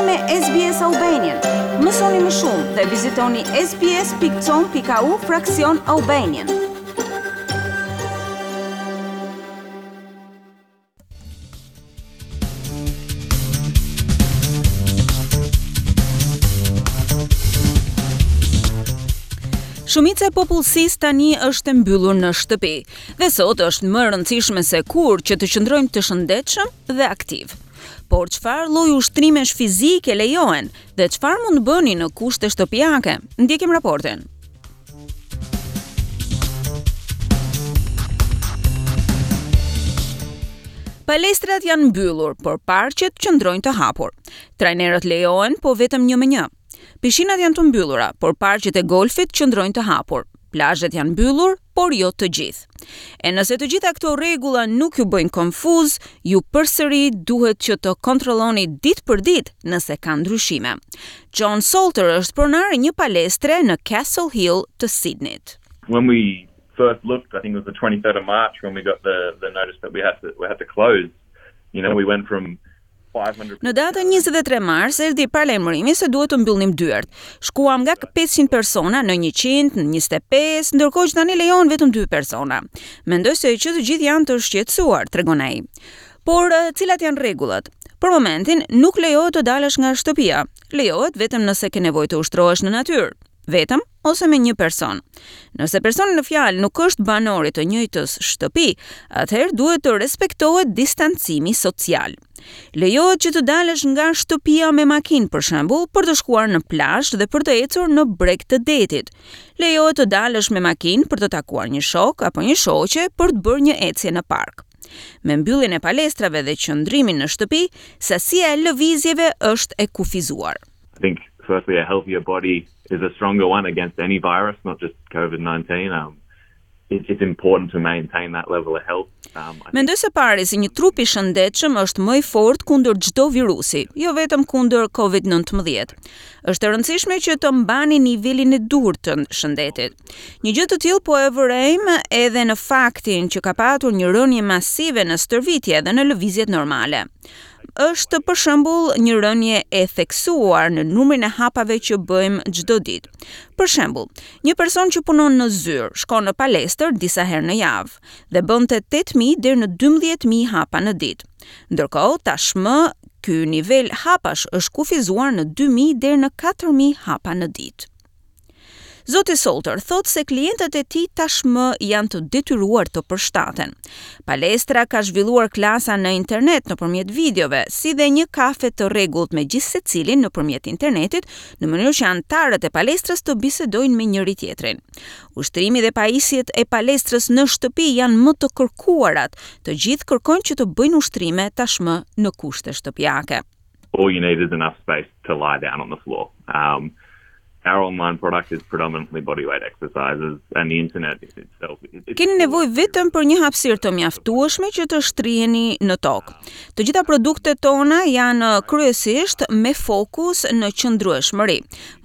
me SBS Albanian. Mësoni më shumë dhe vizitoni sbs.com.au fraksion Albanian. Shumica e popullsisë tani është e mbyllur në shtëpi dhe sot është më e rëndësishme se kurrë që të qëndrojmë të shëndetshëm dhe aktiv. Por çfarë lloj ushtrimesh fizike lejohen dhe çfarë mund të bëni në kushte shtëpiake? Ndjekim raportin. Palestrat janë mbyllur, por parqet qëndrojnë të hapur. Trajnerët lejohen, po vetëm një me një. Pishinat janë të mbyllura, por parqet e golfit qëndrojnë të hapur. Plazhet janë mbyllur, por jo të gjithë. E nëse të gjitha këto rregulla nuk ju bëjnë konfuz, ju përsëri duhet që të kontrolloni ditë për ditë nëse ka ndryshime. John Salter është pronar i një palestre në Castle Hill të Sydneyt. When we first looked, I think it was the 23rd of March when we got the the notice that we had to we had to close. You know, we went from Në datën 23 mars erdhi paralajmërimi se duhet të mbyllnim dyert. Shkuam nga 500 persona në 100, në 25, ndërkohë që tani lejohen vetëm 2 persona. Mendoj se që të gjithë janë të shqetësuar, tregon ai. Por cilat janë rregullat? Për momentin nuk lejohet të dalësh nga shtëpia. Lejohet vetëm nëse ke nevojë të ushtrohesh në natyrë, vetëm ose me një person. Nëse personi në fjalë nuk është banor i të njëjtës shtëpi, atëherë duhet të respektohet distancimi social. Lejohet që të dalësh nga shtëpia me makinë, për shembull, për të shkuar në plazh dhe për të ecur në breg të detit. Lejohet të dalësh me makinë për të takuar një shok apo një shoqe për të bërë një ecje në park. Me mbylljen e palestrave dhe qëndrimin në shtëpi, sasia e lëvizjeve është e kufizuar. I think firstly a healthier body is a stronger one against any virus, not just COVID-19. Um, it, it's important to maintain that level of health. Um, Mendoj së pari se një trup i shëndetshëm është më i fortë kundër çdo virusi, jo vetëm kundër COVID-19. Është e rëndësishme që të mbani nivelin e duhur të shëndetit. Një gjë të tillë po e vërejmë edhe në faktin që ka patur një rënie masive në stërvitje dhe në lëvizjet normale. Është për shembull një rënie e theksuar në numrin e hapave që bëjmë çdo ditë. Për shembull, një person që punon në zyrë shkon në palestër disa herë në javë dhe bënte 8000 deri në 12000 hapa në ditë. Ndërkohë, tashmë ky nivel hapash është kufizuar në 2000 deri në 4000 hapa në ditë. Zoti Salter thotë se klientët e tij tashmë janë të detyruar të përshtaten. Palestra ka zhvilluar klasa në internet nëpërmjet videove, si dhe një kafe të rregullt me gjithsecilin nëpërmjet internetit, në mënyrë që anëtarët e palestrës të bisedojnë me njëri-tjetrin. Ushtrimi dhe pajisjet e palestrës në shtëpi janë më të kërkuarat. Të gjithë kërkojnë që të bëjnë ushtrime tashmë në kushte shtëpiake. All you need is enough space to lie down on the floor. Um, our online product is predominantly bodyweight exercises and the internet itself. Keni nevojë vetëm për një hapësirë të mjaftueshme që të shtriheni në tokë. Të gjitha produktet tona janë kryesisht me fokus në qëndrueshmëri.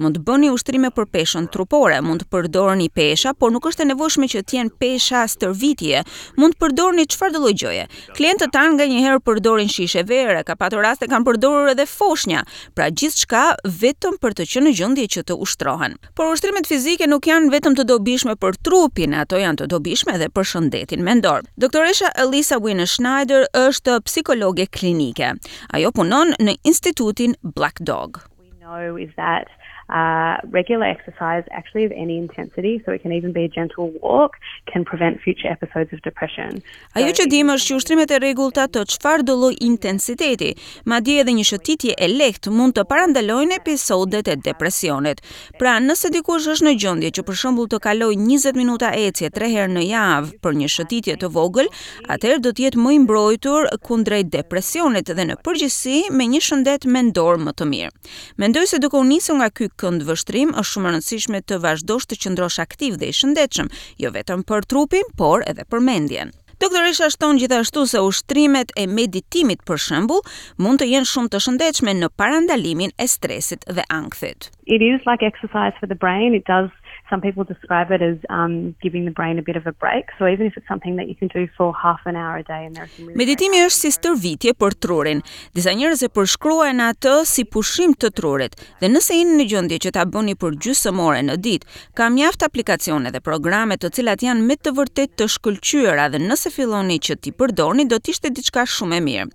Mund të bëni ushtrime për peshën trupore, mund të përdorni pesha, por nuk është e nevojshme që të jenë pesha stërvitje. Mund të përdorni çfarëdo lloj gjëje. Klientët tanë nganjëherë përdorin shishe vere, ka patur raste kanë përdorur edhe foshnja, pra gjithçka vetëm për të qenë në gjendje që të ushtrohen. Por ushtrimet fizike nuk janë vetëm të dobishme për trupin, ato janë të dobishme edhe për shëndetin mendor. Doktoresha Elisa Wiener Schneider është psikologe klinike. Ajo punon në Institutin Black Dog. We know is that uh, regular exercise, actually of any intensity, so it can even be a gentle walk, can prevent future episodes of depression. Ajo që dimë është që ushtrimet e rregullta të çfarëdo lloj intensiteti, madje edhe një shëtitje e lehtë mund të parandalojnë episodet e depresionit. Pra, nëse dikush është në gjendje që për shembull të kalojë 20 minuta ecje 3 herë në javë për një shëtitje të vogël, atëherë do të jetë më i mbrojtur kundrejt depresionit dhe në përgjithësi me një shëndet mendor më të mirë. Mendoj se duke u nisur nga ky këndvështrim është shumë e rëndësishme të vazhdosh të qëndrosh aktiv dhe i shëndetshëm, jo vetëm për trupin, por edhe për mendjen. Doktoresha shton gjithashtu se ushtrimet e meditimit për shembull mund të jenë shumë të shëndetshme në parandalimin e stresit dhe ankthit. It is like exercise for the brain. It does. Some people describe it as um giving the brain a bit of a break. So even if it's something that you can do for half an hour a day and there are some really Meditimi është si stërvitje për trurin. Disa njerëz e përshkruajnë atë si pushim të trurit dhe nëse jeni në gjendje që ta bëni për gjysmë ore në ditë, ka mjaft aplikacione dhe programe të cilat janë me të vërtetë të shkëlqyera dhe nëse filloni që t'i përdorni do të ishte diçka shumë e mirë.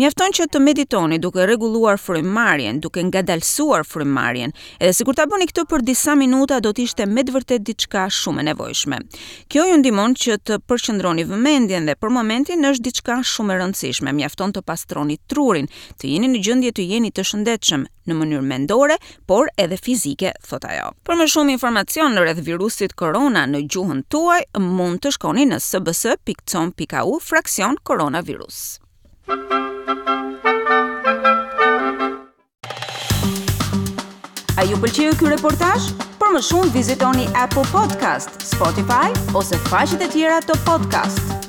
Mjafton që të meditoni duke rregulluar frymëmarrjen, duke ngadalësuar frymëmarrjen. Edhe sikur ta bëni këtë për disa minuta do të ishte me të vërtetë diçka shumë e nevojshme. Kjo ju ndihmon që të përqendroni vëmendjen dhe për momentin është diçka shumë e rëndësishme. Mjafton të pastroni trurin, të jeni në gjendje të jeni të shëndetshëm në mënyrë mendore, por edhe fizike, thotë ajo. Për më shumë informacion rreth virusit korona në gjuhën tuaj, mund të shkoni në sbs.com.au fraksion koronavirus. A ju pëlqeu ky reportazh? Për më shumë vizitoni Apple Podcast, Spotify ose faqet e tjera të podcast.